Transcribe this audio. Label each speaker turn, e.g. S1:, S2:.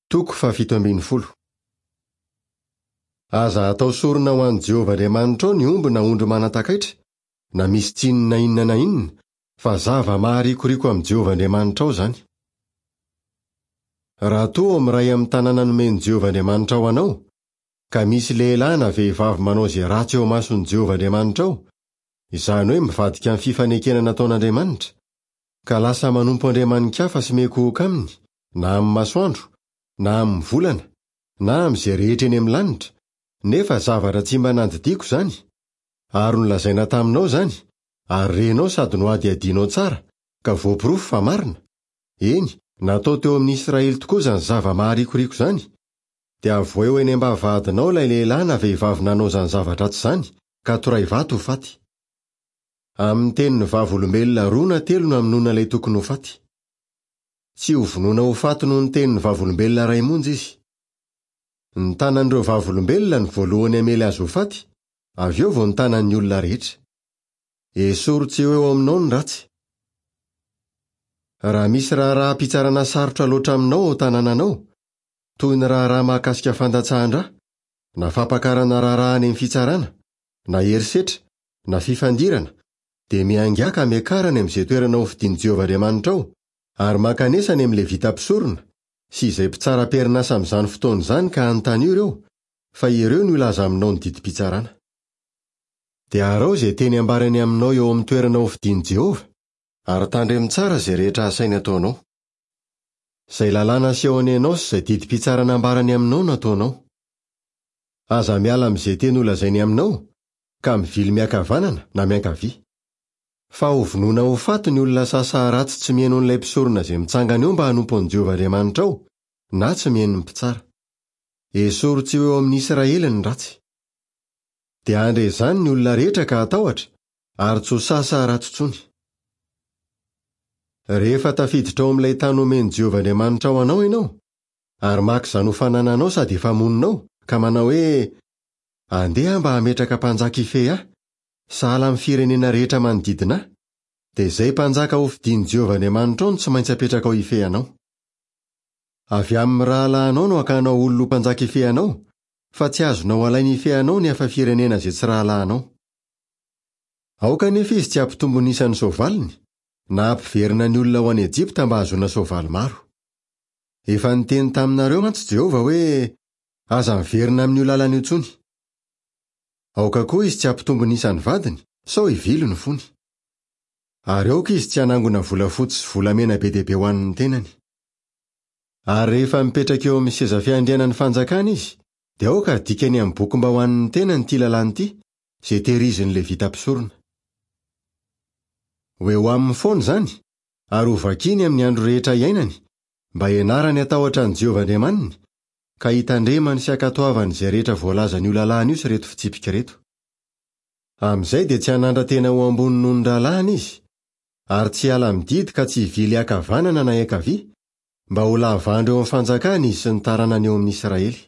S1: Toko fahafito ambin'ny folo. Aza atao sorona ho an'i Jehovah Andriamanitrao ny omby na ondry manan-takaitra, na misy tsiny na inona na inona, fa zava-maharikoriko amin'i Jehovah Andriamanitrao izany. Raha toa ao amin'ny iray amin'ny tanàna nomen'i Jehovah Andriamanitrao anao, ka misy lehilahy na vehivavy manao izay ratsy eo imason'i Jehovah Andriamanitrao, izany hoe mivadika amin'ny fifanekena nataon'Andriamanitra, ka lasa manompo andriamani-kafa sy miankohoka aminy, na amin'ny masoandro, na amin'ny volana, na amin'izay rehetra eny amin'ny lanitra, nefa zavatra tsy mba nandidiako izany, ary nolazaina taminao izany, ary renao sady nohadihadianao tsara, ka voaporofo fa marina, eny, natao teo amin'ny Israely tokoa izany zava-maharikoriko izany, dia avohay ho eny am-bavahadinao ilay lehilahy na vehivavy nanao izany zava-dratsy izany, ka toray vato ho faty. Amin'ny tenin'ny vavolombelona roa na telo no hamonoana ilay tokony ho faty. Tsy hovonoina ho faty noho ny tenin'ny vavolombelona iray monja izy. Ny tanan'ireo vavolombelona no voalohany hamely azy ho faty, avy eo vao ny tanan'ny olona rehetra. Esory tsy ho eo aminao ny ratsy. Raha misy raharaham-pitsarana sarotra loatra aminao ao an-tanànanao, toy ny raharaha mahakasika fandatsahan-dra, na fampakarana raharaha any amin'ny fitsarana, na herisetra, na fifandirana, dia miaingà ka miakara any amin'izay toerana hofidin'i Jehovah Andriamanitrao, ary mankanesa any amin'ny Levita mpisorona, sy izay mpitsara am-perinasa amin'izany fotoana izany ka anontanio ireo, fa ireo no hilaza aminao ny didim-pitsarana. Dia araho izay teny ambarany aminao eo amin'ny toerana hofidin'i Jehovah, ary tandremo tsara izay rehetra asainy ataonao. Izay lalàna asehony anao sy izay didim-pitsarana ambarany aminao no ataonao. Aza miala amin'izay teny holazainy aminao, ka mivily miankavanana na miankavia. Fa hovonoina ho faty ny olona sasaha ratsy tsy mihaino an'ilay mpisorona izay mitsangana eo mba hanompo an'i Jehovah Andriamanitrao, na tsy mihaino ny mpitsara. Esory tsy ho eo amin'ny Israely ny ratsy. Dia handre izany ny olona rehetra ka hatahotra, ary tsy ho sasaha ratsy intsony. Rehefa tafiditra ao amin'ilay tany omen'i Jehovah Andriamanitrao anao ianao, ary maka izany ho fanananao sady efa monina ao, ka manao hoe, Andeha aho mba hametraka mpanjaka hifehy ahy, sahala amin'ny firenena rehetra manodidina ahy, dia izay mpanjaka hofidin'i Jehovah Andriamanitrao no tsy maintsy apetrakao hifehy anao. Avy amin'ny rahalahinao no hakanao olona ho mpanjaka hifehy anao, fa tsy azonao alaina hifehy anao ny hafa firenena izay tsy rahalahinao. Aoka anefa izy tsy hampitombo ny isan'ny soavaliny, na hampiverina ny olona ho any Ejipta mba hahazoana soavaly maro. Efa niteny taminareo mantsy Jehovah hoe, Aza miverina amin'io lalana io intsony. Aoka koa izy tsy hampitombo ny isan'ny vadiny, sao hivily ny fony. Ary aoka izy tsy hanangona volafotsy sy volamena be dia be ho an'ny tenany. Ary rehefa mipetraka eo amin'ny seza fiandrianan'ny fanjakana izy, dia aoka hadikany amin'ny boky mba ho an'ny tenany ity lalàna ity, izay tehirizin'ny Levita mpisorona. Ho eo aminy foana izany, ary hovakiny amin'ny andro rehetra iainany, mba hianarany hatahotra an'i Jehovah Andriamaniny, ka hitandremany sy hankatoavany izay rehetra voalazan'io lalàna io sy ireto fitsipika ireto. Amin'izay dia tsy hanandra-tena ho ambony noho ny rahalahiny izy, ary tsy hiala amin'ny didy ka tsy hivily hiankavanana na hiankavia, mba ho lava andro eo amin'ny fanjakany izy sy ny taranany eo amin'ny Israely.